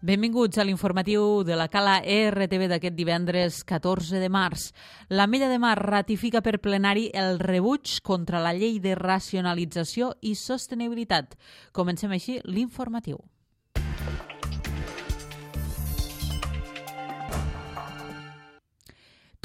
Benvinguts a l'informatiu de la Cala RTV d'aquest divendres 14 de març. L'Ametlla de Mar ratifica per plenari el rebuig contra la llei de racionalització i sostenibilitat. Comencem així l'informatiu.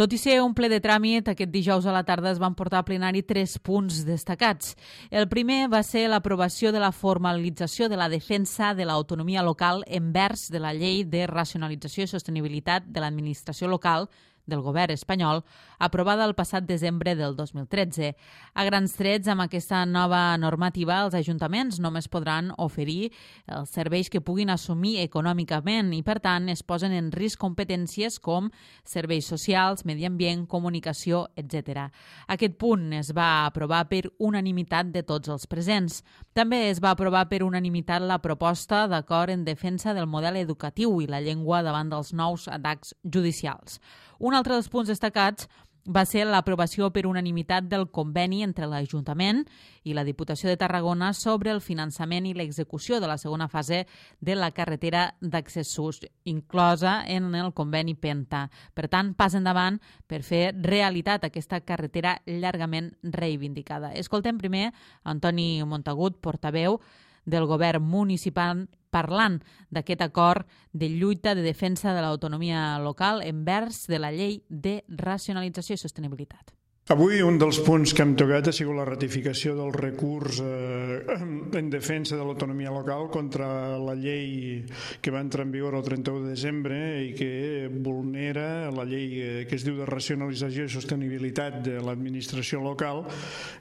Tot i ser un ple de tràmit, aquest dijous a la tarda es van portar a plenari 3 punts destacats. El primer va ser l'aprovació de la formalització de la defensa de l'autonomia local envers de la llei de racionalització i sostenibilitat de l'administració local del govern espanyol, aprovada el passat desembre del 2013. A grans trets, amb aquesta nova normativa, els ajuntaments només podran oferir els serveis que puguin assumir econòmicament i, per tant, es posen en risc competències com serveis socials, medi ambient, comunicació, etc. Aquest punt es va aprovar per unanimitat de tots els presents. També es va aprovar per unanimitat la proposta d'acord en defensa del model educatiu i la llengua davant dels nous atacs judicials. Un altre dels punts destacats va ser l'aprovació per unanimitat del conveni entre l'Ajuntament i la Diputació de Tarragona sobre el finançament i l'execució de la segona fase de la carretera d'accessos, inclosa en el conveni Penta. Per tant, pas endavant per fer realitat aquesta carretera llargament reivindicada. Escoltem primer Antoni Montagut, portaveu del govern municipal, parlant d'aquest acord de lluita de defensa de l'autonomia local envers de la llei de racionalització i sostenibilitat. Avui un dels punts que hem tocat ha sigut la ratificació del recurs en defensa de l'autonomia local contra la llei que va entrar en vigor el 31 de desembre i que vulnera la llei que es diu de racionalització i sostenibilitat de l'administració local,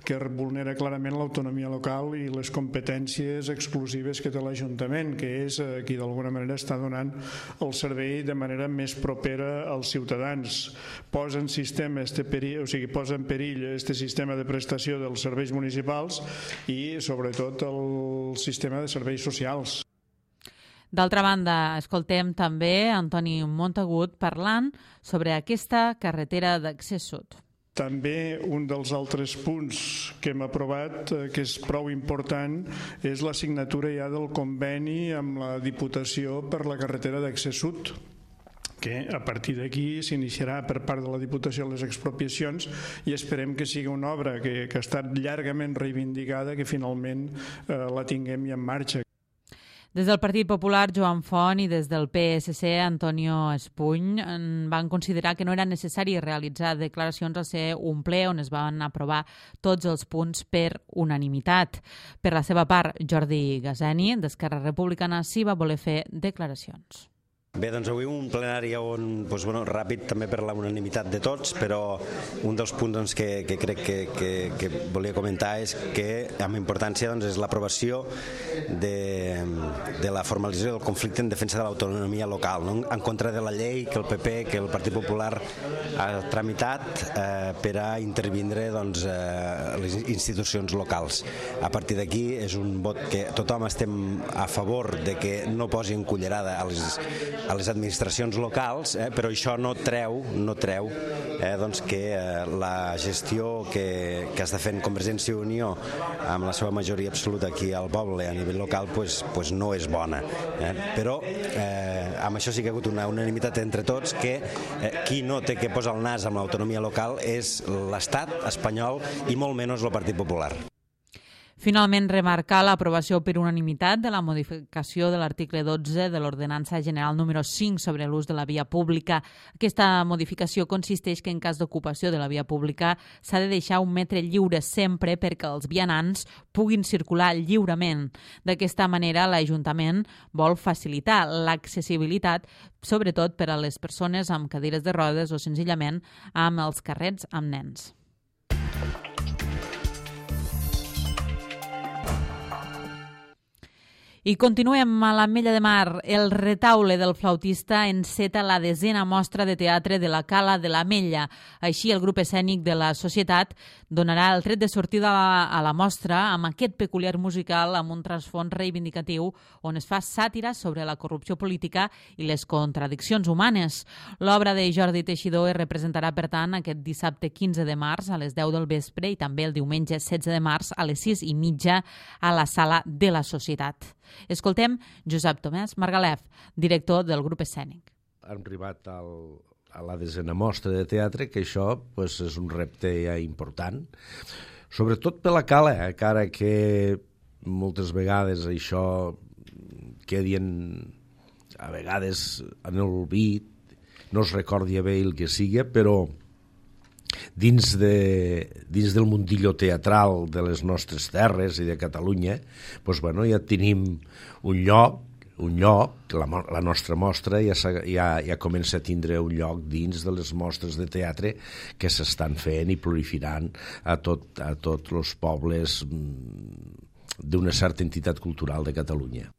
que vulnera clarament l'autonomia local i les competències exclusives que té l'Ajuntament, que és qui d'alguna manera està donant el servei de manera més propera als ciutadans. Posa en perill aquest sistema de prestació dels serveis municipals i, sobretot, el sistema de serveis socials. D'altra banda, escoltem també Antoni Montagut parlant sobre aquesta carretera d'accés sud. També un dels altres punts que hem aprovat, que és prou important, és la signatura ja del conveni amb la Diputació per la carretera d'accés sud, que a partir d'aquí s'iniciarà per part de la Diputació les expropiacions i esperem que sigui una obra que ha estat llargament reivindicada, que finalment la tinguem ja en marxa. Des del Partit Popular, Joan Font, i des del PSC, Antonio Espuny, van considerar que no era necessari realitzar declaracions al ser un ple on es van aprovar tots els punts per unanimitat. Per la seva part, Jordi Gaseni, d'Esquerra Republicana, sí va voler fer declaracions. Bé, doncs avui un plenari on, ràpid també per la unanimitat de tots, però un dels punts que crec que volia comentar és que amb importància és l'aprovació de la formalització del conflicte en defensa de l'autonomia local, en contra de la llei que el PP, que el Partit Popular ha tramitat per a intervindre les institucions locals. A partir d'aquí és un vot que tothom estem a favor de que no posi en cullerada a les administracions locals, però això no treu que la gestió que està fent Convergència i Unió amb la seva majoria absoluta aquí al poble a nivell local no és bona. Però amb això sí que ha hagut una unanimitat entre tots que qui no té que posar el nas amb l'autonomia local és l'Estat espanyol i molt menys el Partit Popular. Finalment, remarcar l'aprovació per unanimitat de la modificació de l'article 12 de l'Ordenança General número 5 sobre l'ús de la via pública. Aquesta modificació consisteix que en cas d'ocupació de la via pública s'ha de deixar un metre lliure sempre perquè els vianants puguin circular lliurement. D'aquesta manera, l'Ajuntament vol facilitar l'accessibilitat, sobretot per a les persones amb cadires de rodes o senzillament amb els carrets amb nens. I continuem a l'Ametlla de Mar. El retaule del flautista enceta la 10a mostra de teatre de la Cala de l'Ametlla. Així, el grup escènic de la Societat donarà el tret de sortida a la mostra amb aquest peculiar musical amb un trasfons reivindicatiu on es fa sàtira sobre la corrupció política i les contradiccions humanes. L'obra de Jordi Teixidor es representarà, per tant, aquest dissabte 15 de març a les 10 del vespre i també el diumenge 16 de març a les 6:30 a la Sala de la Societat. Escoltem Josep Tomàs Margalef, director del grup escènic. Hem arribat a la 10a mostra de teatre, que això és un repte ja important, sobretot per la cala, encara que moltes vegades això quedi a vegades en l'olvid, no es recordi bé el que sigui, però dins del mundillo teatral de les nostres terres i de Catalunya, ja tenim un lloc, la nostra mostra ja comença a tindre un lloc dins de les mostres de teatre que s'estan fent i proliferant a tots els pobles d'una certa entitat cultural de Catalunya.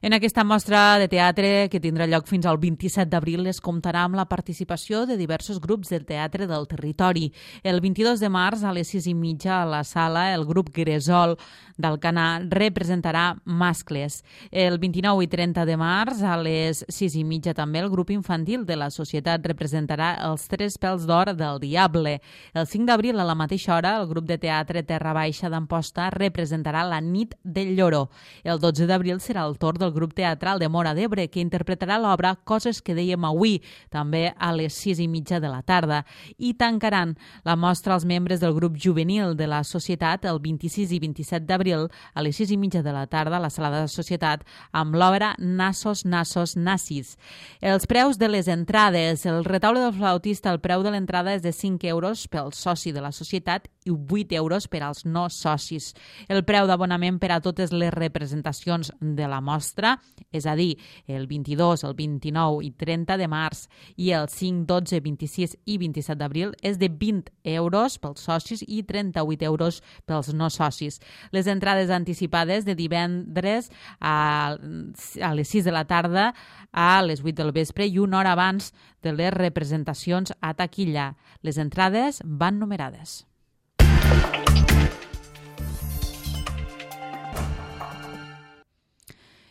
En aquesta mostra de teatre, que tindrà lloc fins al 27 d'abril, es comptarà amb la participació de diversos grups de teatre del territori. El 22 de març, a les 6:30, a la sala, el grup Gresol d'Alcanar representarà Mascles. El 29 i 30 de març, a les 6:30, també el grup infantil de la Societat representarà Els Tres Pèls d'Or del Diable. El 5 d'abril, a la mateixa hora, el grup de teatre Terra Baixa d'Amposta representarà La Nit del Lloro. El 12 d'abril serà el torn del grup teatral de Móra d'Ebre, que interpretarà l'obra Coses que dèiem avui, també a les 6:30 de la tarda. I tancaran la mostra els membres del grup juvenil de la Societat el 26 i 27 d'abril a les 6:30 de la tarda a la sala de la Societat amb l'obra Nassos, Nassos, Nassis. Els preus de les entrades. El Retaule del Flautista, el preu de l'entrada és de 5 euros pel soci de la Societat i 8 euros per als no socis. El preu d'abonament per a totes les representacions de la mostra, és a dir, el 22, el 29 i 30 de març i el 5, 12, 26 i 27 d'abril, és de 20 euros pels socis i 38 euros pels no socis. Les entrades anticipades de divendres a les 6 de la tarda a les 8 del vespre i una hora abans de les representacions a taquilla. Les entrades van numerades.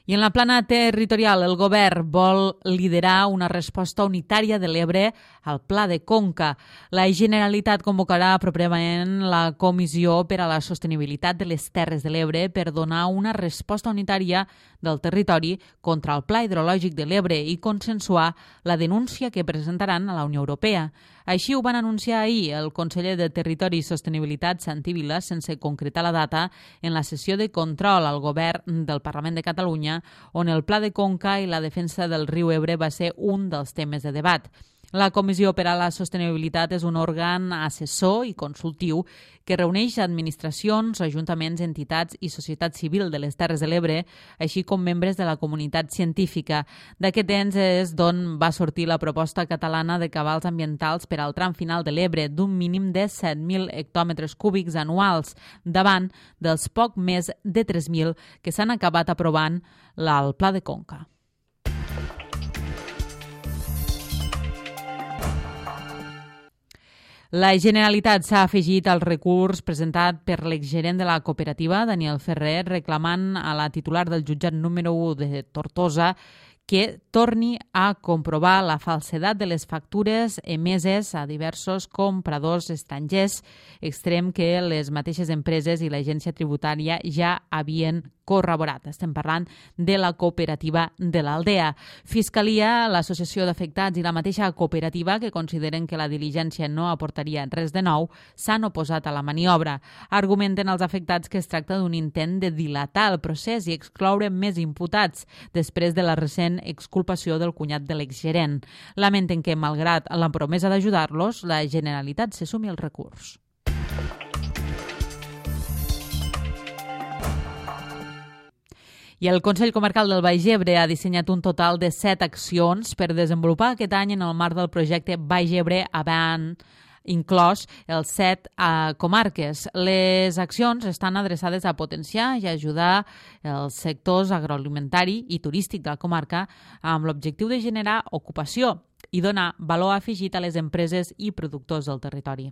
I en la plana territorial, el govern vol liderar una resposta unitària de l'Ebre al Pla de Conca. La Generalitat convocarà properament la Comissió per a la Sostenibilitat de les Terres de l'Ebre per donar una resposta unitària del territori contra el Pla Hidrològic de l'Ebre i consensuar la denúncia que presentaran a la Unió Europea. Així ho van anunciar ahir el conseller de Territori i Sostenibilitat, Santi Vila, sense concretar la data, en la sessió de control al govern del Parlament de Catalunya, on el Pla de Conca i la defensa del riu Ebre va ser un dels temes de debat. La Comissió per a la Sostenibilitat és un òrgan assessor i consultiu que reuneix administracions, ajuntaments, entitats i societat civil de les Terres de l'Ebre, així com membres de la comunitat científica. D'aquest ens és d'on va sortir la proposta catalana de cabals ambientals per al tram final de l'Ebre d'un mínim de 7.000 hectòmetres cúbics anuals, davant dels poc més de 3.000 que s'han acabat aprovant al Pla de Conca. La Generalitat s'ha afegit al recurs presentat per l'exgerent de la cooperativa, Daniel Ferrer, reclamant a la titular del jutjat número 1 de Tortosa que torni a comprovar la falsedat de les factures emeses a diversos compradors estrangers, extrem que les mateixes empreses i l'agència tributària ja havien corroborat. Estem parlant de la cooperativa de l'Aldea. Fiscalia, l'associació d'afectats i la mateixa cooperativa, que consideren que la diligència no aportaria res de nou, s'han oposat a la maniobra. Argumenten els afectats que es tracta d'un intent de dilatar el procés i excloure més imputats després de la recent exculpació del cunyat de l'exgerent. Lamenten que, malgrat la promesa d'ajudar-los, la Generalitat se sumi al recurs. I el Consell Comarcal del Baix Ebre ha dissenyat un total de 7 accions per desenvolupar aquest any en el marc del projecte Baix Ebre Avant, inclòs els 7 comarques. Les accions estan adreçades a potenciar i ajudar els sectors agroalimentari i turístic de la comarca amb l'objectiu de generar ocupació i donar valor afegit a les empreses i productors del territori.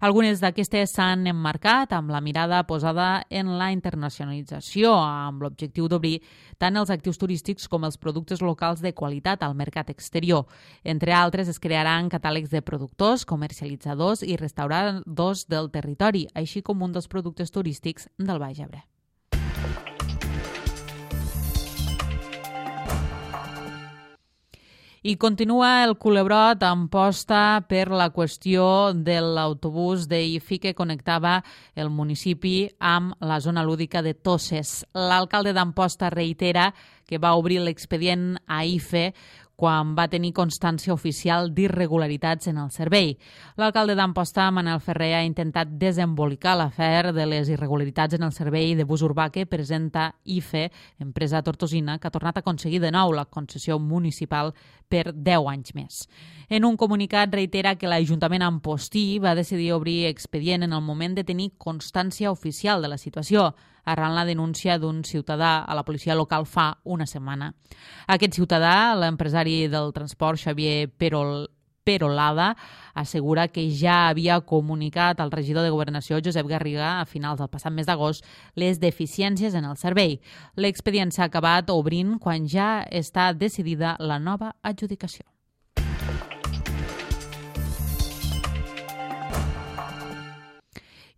Algunes d'aquestes s'han emmarcat amb la mirada posada en la internacionalització, amb l'objectiu d'obrir tant els actius turístics com els productes locals de qualitat al mercat exterior. Entre altres, es crearan catàlegs de productors, comercialitzadors i restauradors del territori, així com un dels productes turístics del Baix Ebre. I continua el culebrot en posta per la qüestió de l'autobús d'IFI que connectava el municipi amb la zona lúdica de Toses. L'alcalde d'Amposta reitera que va obrir l'expedient a IFE quan va tenir constància oficial d'irregularitats en el servei. L'alcalde d'Amposta, Manel Ferrer, ha intentat desembolicar l'afer de les irregularitats en el servei de bus urbà que presenta IFE, empresa tortosina, que ha tornat a aconseguir de nou la concessió municipal per 10 anys més. En un comunicat reitera que l'Ajuntament ampostí va decidir obrir expedient en el moment de tenir constància oficial de la situació, arran la denúncia d'un ciutadà a la policia local fa una setmana. Aquest ciutadà, l'empresari del transport Xavier Perolada, assegura que ja havia comunicat al regidor de Governació, Josep Garriga, a finals del passat mes d'agost, les deficiències en el servei. L'expedient s'ha acabat obrint quan ja està decidida la nova adjudicació.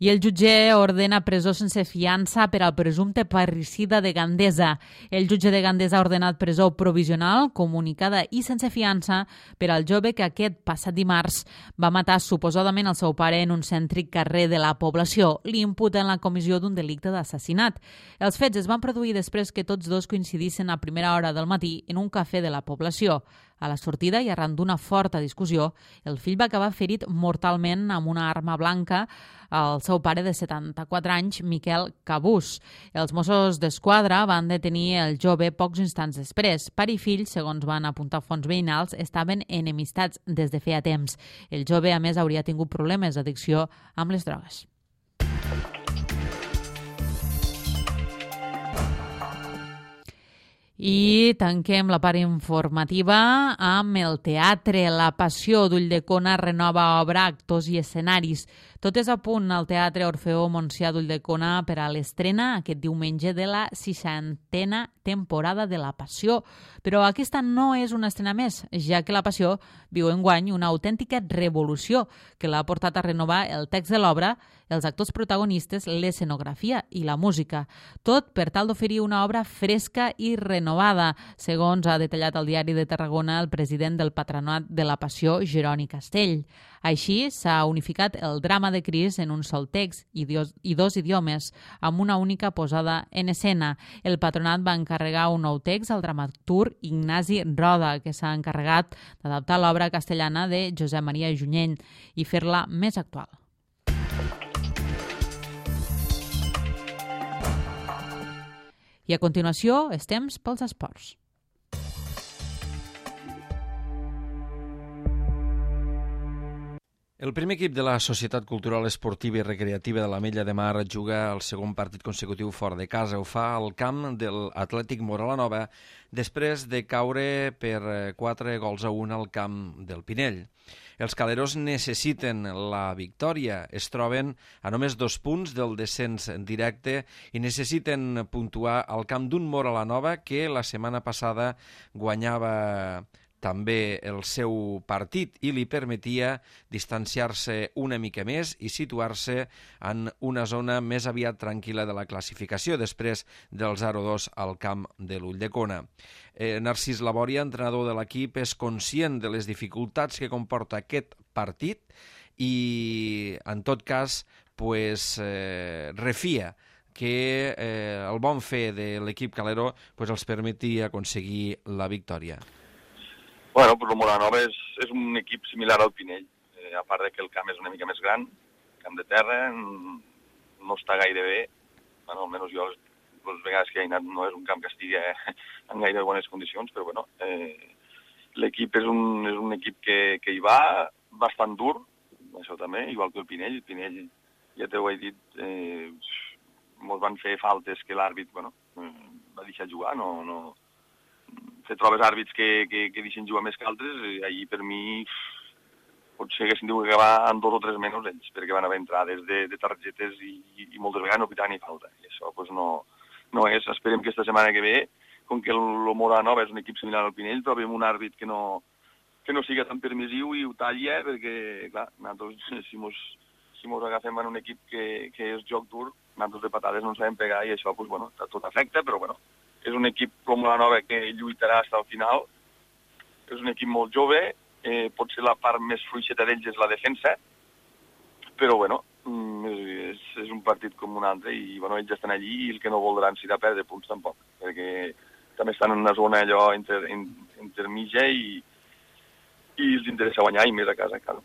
I el jutge ordena presó sense fiança per al presumpte parricida de Gandesa. El jutge de Gandesa ha ordenat presó provisional, comunicada i sense fiança per al jove que aquest passat dimarts va matar suposadament el seu pare en un cèntric carrer de la població. Li imputen la comissió d'un delicte d'assassinat. Els fets es van produir després que tots dos coincidissin a primera hora del matí en un cafè de la població. A la sortida i arran d'una forta discussió, el fill va acabar ferit mortalment amb una arma blanca al seu pare de 74 anys, Miquel Cabús. Els Mossos d'Esquadra van detenir el jove pocs instants després. Pare i fill, segons van apuntar fonts veïnals, estaven enemistats des de feia temps. El jove, a més, hauria tingut problemes d'addicció amb les drogues. I tanquem la part informativa amb el teatre. La Passió d'Ulldecona renova obra, actors i escenaris. Tot és a punt al Teatre Orfeó Montsià d'Ulldecona per a l'estrena aquest diumenge de la 60a temporada de La Passió. Però aquesta no és una estrena més, ja que La Passió viu enguany una autèntica revolució que l'ha portat a renovar el text de l'obra, els actors protagonistes, l'escenografia i la música. Tot per tal d'oferir una obra fresca i renovada, segons ha detallat al Diari de Tarragona el president del Patronat de la Passió, Jeroni Castell. Així, s'ha unificat el drama de Crist en un sol text i dos idiomes, amb una única posada en escena. El Patronat va encarregar un nou text al dramaturg Ignasi Roda, que s'ha encarregat d'adaptar l'obra castellana de Josep Maria Junyent i fer-la més actual. I a continuació, és temps pels esports. El primer equip de la Societat Cultural Esportiva i Recreativa de l'Ametlla de Mar juga el segon partit consecutiu fora de casa. Ho fa al camp de l'Atlètic Móra-la-Nova després de caure per 4-1 al camp del Pinell. Els caleros necessiten la victòria, es troben a només 2 punts del descens directe i necessiten puntuar al camp d'un Móra-la-Nova que la setmana passada guanyava també el seu partit i li permetia distanciar-se una mica més i situar-se en una zona més aviat tranquil·la de la classificació després del 0-2 al camp de l'Ulldecona. Narcís Labòria, entrenador de l'equip, és conscient de les dificultats que comporta aquest partit i, en tot cas, refia que el bon fer de l'equip calero els permeti aconseguir la victòria. Bueno, pues el Móra-la-Nova és un equip similar al Pinell, a part de que el camp és una mica més gran, camp de terra, no està gaire bé, bueno, almenys jo les vegades que he anat no és un camp que estigui en gaire bones condicions, però bueno, l'equip és un equip que hi va bastant dur, això també, igual que el Pinell. El Pinell, ja t'ho he dit, ens van fer faltes que l'àrbit, bueno, va deixar jugar, no fer trobes àrbits que deixen jugar més que altres, allí per mi potser haguessin dit que acabar amb 2 o 3 menys ells, perquè van haver entrades de targetes i moltes vegades no pitaven ni falta. I això no és. Esperem que esta setmana que ve, com que el Móra-la-Nova és un equip similar al Pinell, trobem un àrbit que no siga tan permissiu i ho talla, perquè, clar, nosaltres, si mos agafem en un equip que és joc dur, nosaltres de patades no ens sabem pegar i això, bueno, tot afecta, però bueno, és un equip com la Nova que lluitarà fins al final. és un equip molt jove, potser la part més fluixeta d'ells és la defensa, però bueno, és un partit com un altre i bueno, ells estan allí i el que no voldran serà perdre punts tampoc, perquè també estan en una zona allò intermitja i els interessa guanyar i més a casa, clar.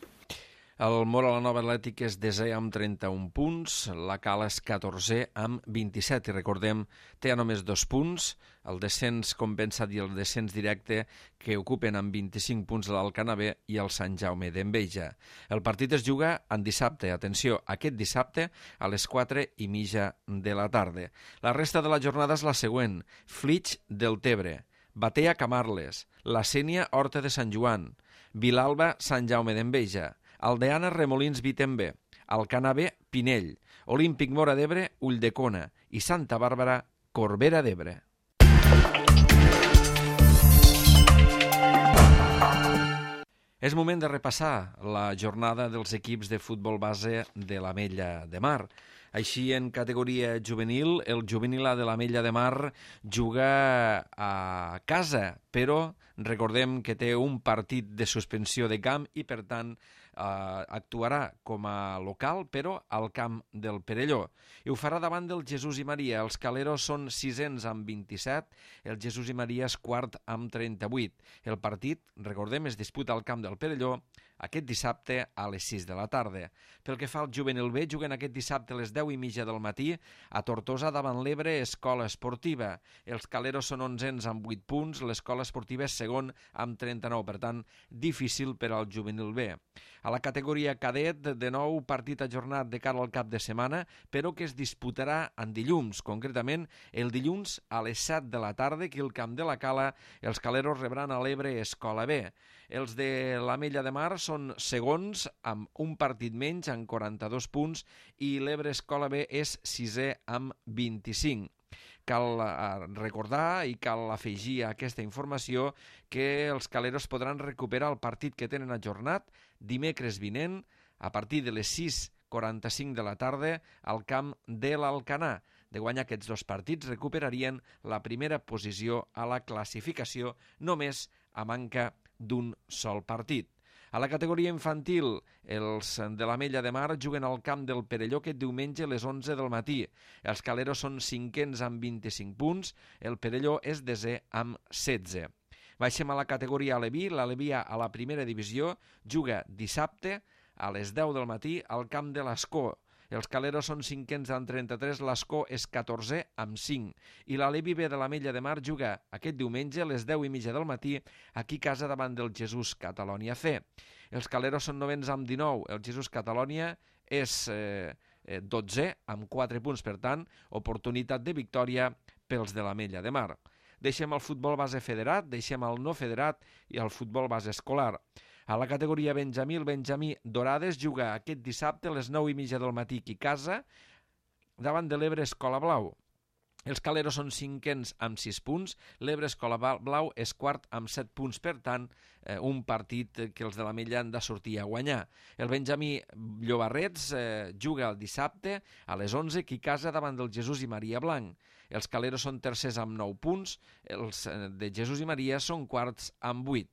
El Móra la Nova Atlètic és 10è amb 31 punts, la Cala és 14è amb 27 i recordem, té només 2 punts, el descens compensat i el descens directe que ocupen amb 25 punts l'Alcanar B i el Sant Jaume d'Enveja. El partit es juga en dissabte, atenció, aquest dissabte a les 4:30 de la tarda. La resta de la jornada és la següent: Flix del Tebre, Batea Camarles, La Sénia Horta de Sant Joan, Vilalba Sant Jaume d'Enveja, Aldeana Remolins Vitembe, Alcanar B Pinell, Olímpic Móra d'Ebre Ulldecona i Santa Bàrbara Corbera d'Ebre. És moment de repassar la jornada dels equips de futbol base de l'Ametlla de Mar. Així, en categoria juvenil, el juvenil A de l'Ametlla de Mar juga a casa, però recordem que té un partit de suspensió de camp i, per tant, actuarà com a local, però al camp del Perelló. I ho farà davant del Jesús i Maria. Els Caleros són 600 amb 27, el Jesús i Maria és quart amb 38. El partit, recordem, es disputa al camp del Perelló aquest dissabte a les 6 de la tarda. Pel que fa al juvenil B, juguen aquest dissabte a les 10:30 del matí a Tortosa davant l'Ebre Escola Esportiva. Els Caleros són 11ens amb 8 punts, l'Escola Esportiva és segon amb 39, per tant, difícil per al juvenil B. A la categoria cadet, de nou partit ajornat de cara al cap de setmana, però que es disputarà en dilluns, concretament el dilluns a les 7 de la tarda, que al camp de la Cala els Caleros rebran a l'Ebre Escola B. Els de l'Ametlla de Mar són segons amb un partit menys, amb 42 punts, i l'Ebre Escola B és 6è amb 25. Cal recordar i cal afegir a aquesta informació que els Caleros podran recuperar el partit que tenen ajornat dimecres vinent a partir de les 6:45 de la tarda al camp de l'Alcanar. De guanyar aquests dos partits recuperarien la primera posició a la classificació només a manca d'un sol partit. A la categoria infantil, els de l'Ametlla de Mar juguen al camp del Perelló aquest diumenge a les 11 del matí. Els Caleros són 5ens amb 25 punts, el Perelló és 10è amb 16. Baixem a la categoria Aleví. L'Aleví a la primera divisió juga dissabte a les 10 del matí al camp de l'Escó. Els Caleros són 5ens amb 33, l'Escó és 14è amb 5. I l'Aleví B de l'Ametlla de Mar juga aquest diumenge a les 10:30 del matí aquí a casa davant del Jesús Catalònia C. Els Caleros són 9ens amb 19, el Jesús Catalònia és 12è amb 4 punts, per tant, oportunitat de victòria pels de l'Ametlla de Mar. Deixem el futbol base federat, deixem el no federat i el futbol base escolar. A la categoria Benjamí, el Benjamí Dorades juga aquest dissabte a les 9:30 del matí aquí a casa davant de l'Ebre Escola Blau. Els Caleros són 5ens amb 6 punts, l'Ebre Escola Blau és quart amb 7 punts, per tant, un partit que els de l'Ametlla han de sortir a guanyar. El Benjamí Llobarrets juga el dissabte a les 11 aquí a casa davant del Jesús i Maria Blanc. Els Caleros són tercers amb 9 punts, els de Jesús i Maria són quarts amb 8.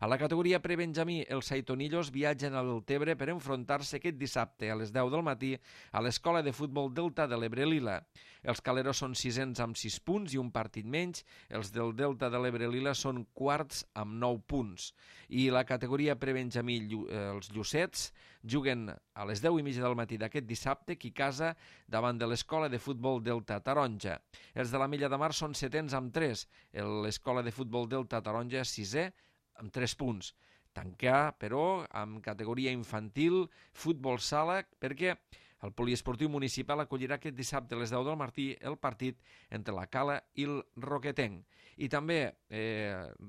A la categoria prebenjamí, els Saitonillos viatgen a Deltebre per enfrontar-se aquest dissabte a les 10 del matí a l'Escola de Futbol Delta de l'Ebre Lila. Els Caleros són 6ens amb 6 punts i un partit menys. Els del Delta de l'Ebre Lila són quarts amb 9 punts. I la categoria prebenjamí, els Llucets, juguen a les 10:30 del matí d'aquest dissabte aquí a casa davant de l'Escola de Futbol Delta Taronja. Els de l'Ametlla de Mar són 7ens amb 3. L'Escola de Futbol Delta Taronja és 6è amb 3 punts. Tancar, però, amb categoria infantil, futbol sala, perquè el poliesportiu municipal acollirà aquest dissabte a les 10 del matí el partit entre la Cala i el Roquetenc. I també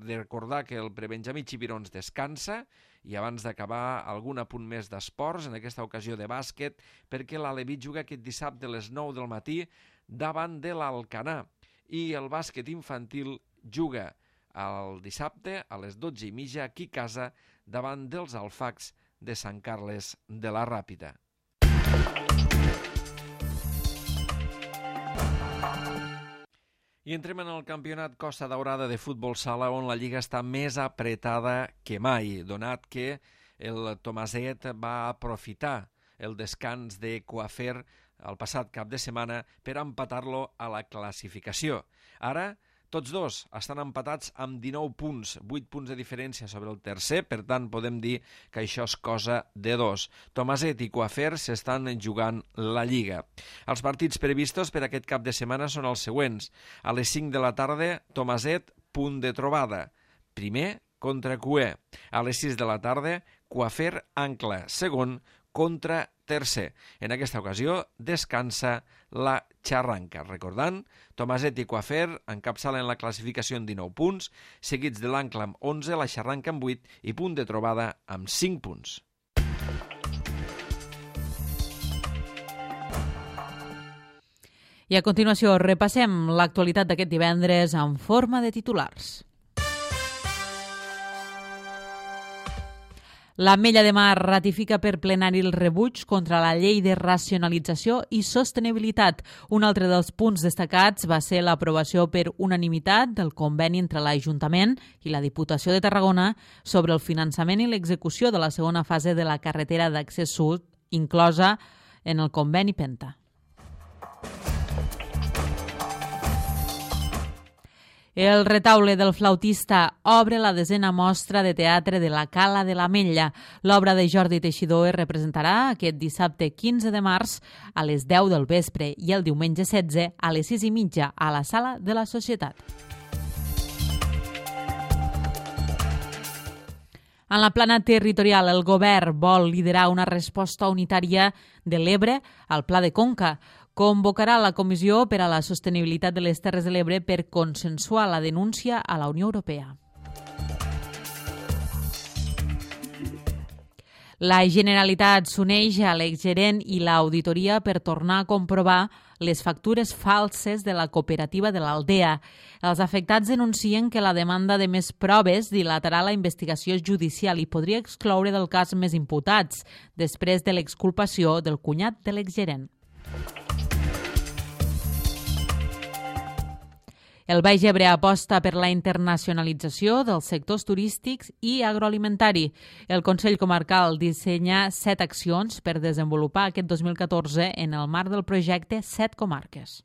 recordar que el prebenjamí Xipirons descansa i abans d'acabar algun apunt més d'esports, en aquesta ocasió de bàsquet, perquè l'Aleví juga aquest dissabte a les 9 del matí davant de l'Alcanar i el bàsquet infantil juga el dissabte a les 12:30 aquí a casa davant dels Alfacs de Sant Carles de la Ràpita. I entrem en el campionat Costa Daurada de futbol sala, on la lliga està més apretada que mai, donat que el Tomaset va aprofitar el descans de Coafer el passat cap de setmana per empatar-lo a la classificació. Ara, tots dos estan empatats amb 19 punts, 8 punts de diferència sobre el tercer, per tant podem dir que això és cosa de dos. Tomaset i Coafer s'estan jugant la Lliga. Els partits previstos per aquest cap de setmana són els següents. A les 5 de la tarda, Tomaset, punt de trobada. Primer contra Cué. A les 6 de la tarda, Coafer, Ancla. Segon contra tercer. En aquesta ocasió descansa la Xarranca. Recordant, Tomaset i Coafer encapçalen la classificació en 19 punts, seguits de l'Ancla amb 11, la Xarranca amb 8 i punt de trobada amb 5 punts. I a continuació repassem l'actualitat d'aquest divendres en forma de titulars. L'Ametlla de Mar ratifica per plenari el rebuig contra la llei de racionalització i sostenibilitat. Un altre dels punts destacats va ser l'aprovació per unanimitat del conveni entre l'Ajuntament i la Diputació de Tarragona sobre el finançament i l'execució de la segona fase de la carretera d'accés sud, inclosa en el conveni Penta. El retaule del flautista obre la 10a mostra de teatre de la Cala de l'Ametlla. L'obra de Jordi Teixidor es representarà aquest dissabte 15 de març a les 10 del vespre i el diumenge 16 a les 6:30 a la Sala de la Societat. En la plana territorial, el govern vol liderar una resposta unitària de l'Ebre al Pla de Conca. Convocarà la Comissió per a la Sostenibilitat de les Terres de l'Ebre per consensuar la denúncia a la Unió Europea. La Generalitat s'uneix a l'exgerent i l'auditoria per tornar a comprovar les factures falses de la cooperativa de l'Aldea. Els afectats denuncien que la demanda de més proves dilatarà la investigació judicial i podria excloure del cas més imputats, després de l'exculpació del cunyat de l'exgerent. El Baix Ebre aposta per la internacionalització dels sectors turístics i agroalimentari. El Consell Comarcal dissenya 7 accions per desenvolupar aquest 2014 en el marc del projecte 7 comarques.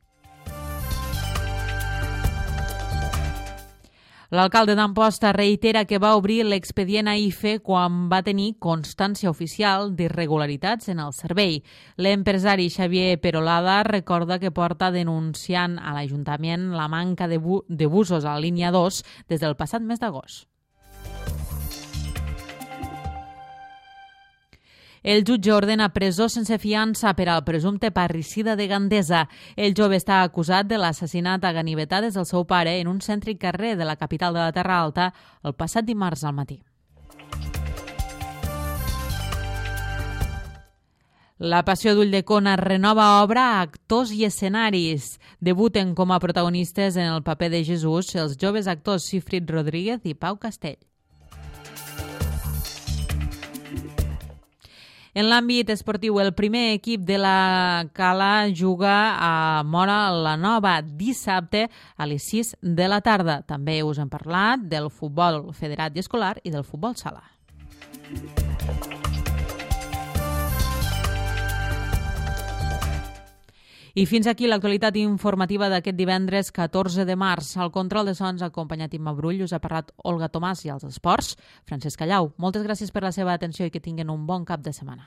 L'alcalde d'Amposta reitera que va obrir l'expedient a IFE quan va tenir constància oficial d'irregularitats en el servei. L'empresari Xavier Perolada recorda que porta denunciant a l'Ajuntament la manca de busos a la línia 2 des del passat mes d'agost. El jutge ordena presó sense fiança per al presumpte parricida de Gandesa. El jove està acusat de l'assassinat a ganivetades del seu pare en un cèntric carrer de la capital de la Terra Alta el passat dimarts al matí. La Passió d'Ulldecona renova obra, actors i escenaris. Debuten com a protagonistes en el paper de Jesús els joves actors Sifrit Rodríguez i Pau Castell. En l'àmbit esportiu, el primer equip de la Cala juga a Móra la Nova dissabte a les 6 de la tarda. També us hem parlat del futbol federat i escolar i del futbol sala. I fins aquí l'actualitat informativa d'aquest divendres 14 de març. Al control de sons ha acompanyat Imma Brull, us ha parlat Olga Tomàs i als esports, Francesc Callau. Moltes gràcies per la seva atenció i que tinguin un bon cap de setmana.